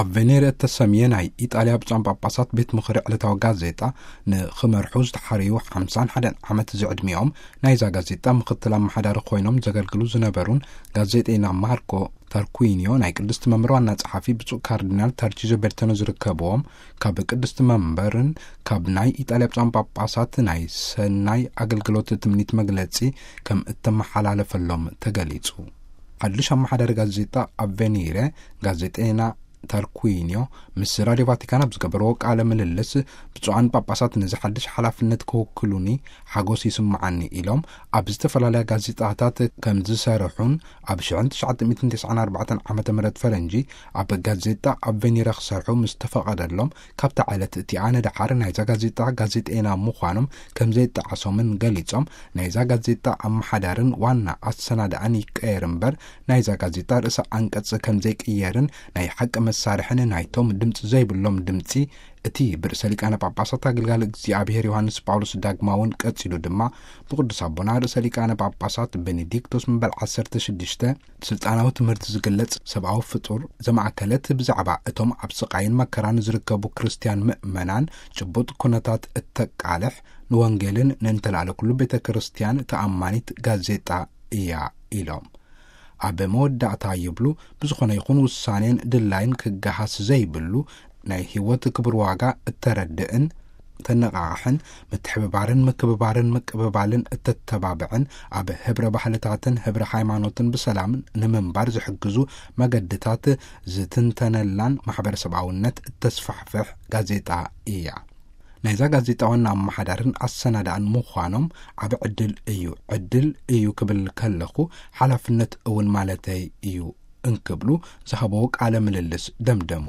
ኣቬኔረ እተሰምየ ናይ ኢጣልያ ብፁዓን ጳጳሳት ቤት ምኽሪ ዕለታዊ ጋዜጣ ንኽመርሑ ዝተሓረዩ ሓምሳን ሓደን ዓመት ዝዕድሚኦም ናይዛ ጋዜጣ ምኽትል ኣመሓዳሪ ኮይኖም ዘገልግሉ ዝነበሩን ጋዜጠይና ማርኮ ታርኩዊኒዮ፣ ናይ ቅድስቲ መንበር ዋና ጸሓፊ ብፁዕ ካርዲናል ታርቺዞ ቤርተኖ ዝርከብዎም፣ ካብ ቅድስቲ መንበርን ካብ ናይ ኢጣልያ ብፁዓን ጳጳሳት ናይ ሰናይ ኣገልግሎት ትምኒት መግለጺ ከም እተመሓላለፈሎም ተገሊጹ። ሓድሽ ኣመሓዳሪ ጋዜጣ ኣቬኒረ፣ ጋዜጠይና ታርኩዊኒዮ፣ ምስ ራድዮ ቫቲካን ኣብ ዝገበርዎ ቃለ ምልልስ፣ ብፁዓን ጳጳሳት ነዚ ሓድሽ ሓላፍነት ክውክሉኒ ሓጎስ ይስምዓኒ ኢሎም፣ ኣብ ዝተፈላለያ ጋዜጣታት ከም ዝሰርሑን፣ ኣብ ሽሕን ትሽዓተ ሚእትን ተስዓን ኣርባዕተን ዓመተ ምህረት ፈረንጂ ኣብ ጋዜጣ ኣቬኒረ ክሰርሑ ምስ ተፈቐደሎም፣ ካብታ ዕለት እቲኣ ንደሓር ናይዛ ጋዜጣ ጋዜጠይና ምዃኖም ከም ዘይጠዓሶምን ገሊጾም፣ ናይዛ ጋዜጣ ኣመሓዳርን ዋና ኣሰናዳእን ይቀየር እምበር፣ ናይዛ ጋዜጣ ርእሰ ኣንቀጽ ከም ዘይቅየርን ናይ ሓቂ መሳርሕን ናይቶም ድምጺ ዘይብሎም ድምጺ፣ እቲ ብርእሰ ሊቃነ ጳጳሳት ኣገልጋሊ እግዚኣብሔር ዮሃንስ ጳውሎስ ዳግማውን ቀጺሉ ድማ ብቅዱስ ኣቦና ርእሰ ሊቃነ ጳጳሳት ቤኔዲክቶስ መበል ዓሰርተ ሽዱሽተ ስልጣናዊ ትምህርቲ ዝግለጽ ሰብኣዊ ፍጡር ዘማእከለት፣ ብዛዕባ እቶም ኣብ ስቃይን መከራን ዝርከቡ ክርስትያን ምእመናን ጭቡጥ ኩነታት እተቃልሕ፣ ንወንጌልን ንእንተላዕለ ኩሉ ቤተ ክርስትያን ተኣማኒት ጋዜጣ እያ ኢሎም። ኣብ መወዳእታ ይብሉ፣ ብዝኾነ ይኹን ውሳኔን ድላይን ክገሃስ ዘይብሉ፣ ናይ ህይወት ክቡር ዋጋ እተረድእን ተነቓቕሕን፣ ምትሕብባርን ምክብባርን ምቅብባልን እተተባብዕን፣ ኣብ ህብረ ባህልታትን ህብረ ሃይማኖትን ብሰላም ንምንባር ዝሕግዙ መገድታት ዝትንተነላን ማሕበረሰባውነት እተስፋሕፍሕ ጋዜጣ እያ። ናይዛ ጋዜጣ ዋና ኣመሓዳርን ኣሰናዳእን ምዃኖም ዓቢ ዕድል እዩ፣ ዕድል እዩ ክብል ከለኹ ሓላፍነት እውን ማለተይ እዩ እንክብሉ ዝሃበዎ ቃለ ምልልስ ደምደሙ።